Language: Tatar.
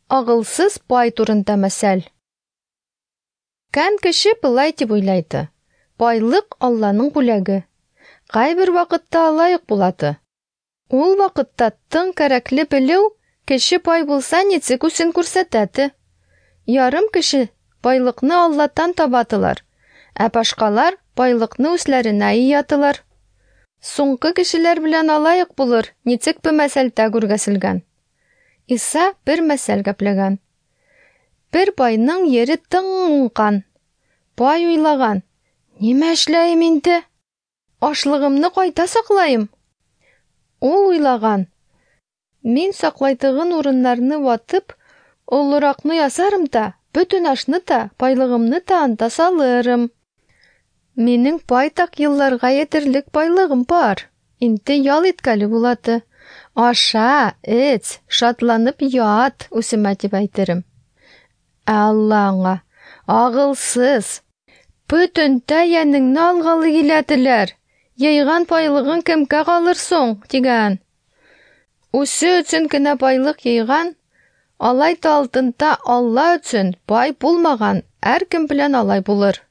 Агылсыз пай турында мәсәл. Кән кеше былай дип уйлайды: байлык Алланың бүләге. Кайбер вакытта алай ук булады. Ул вакытта тың кәрәкле белү, кеше бай булса ничек үзен күрсәтәде. Ярым кеше байлыкны Аллатан табатылар, ә башкалар байлыкны үзләренә иятылар. Соңгы кешеләр белән алай ук булыр, ничек бу мәсәлдә күргәселгән. Иса бер мәсәл гәпләгән. Бер байның ере тың уңган. Бай уйлаган: "Нимә эшләем инде? Ашлыгымны кайда саклаем?" Ул уйлаган: "Мин саклайтыгын урыннарны ватып, олыракны ясарым да, бөтен ашны та, байлыгымны та анда салырым. Минең байтак елларга етерлек байлыгым бар. Инде ял иткәле булады. Аша, эч, шатланып ят, үземә дип әйтерем. Ә Алла аңа: Агылсыз, бөтен тәнеңне алгалы киләделәр. Йыйган байлыгың кемгә калыр соң? Дигән. Үзе өчен генә байлык йыйган, алай да алдында Алла өчен бай булмаган һәркем белән алай булыр.